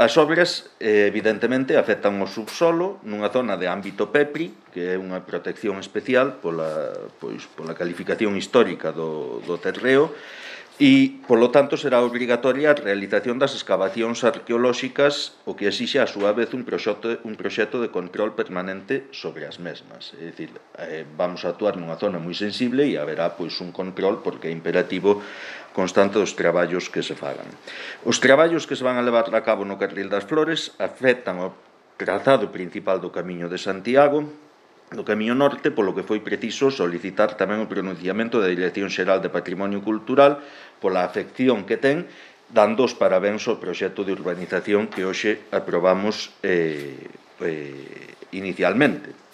As obras, evidentemente, afectan o subsolo nunha zona de ámbito PEPRI, que é unha protección especial pola calificación histórica do terreo, e, polo tanto, será obrigatoria a realización das excavacións arqueolóxicas, o que exixe, a súa vez, un proxecto de control permanente sobre as mesmas. É dicir, vamos a actuar nunha zona moi sensible e haberá un control, porque é imperativo, constante dos traballos que se fagan. Os traballos que se van a levar a cabo no Carril das Flores afectan o trazado principal do Camiño de Santiago, do Camiño Norte, polo que foi preciso solicitar tamén o pronunciamento da Dirección Xeral de Patrimonio Cultural pola afección que ten, dando os parabéns ao proxecto de urbanización que hoxe aprobamos inicialmente.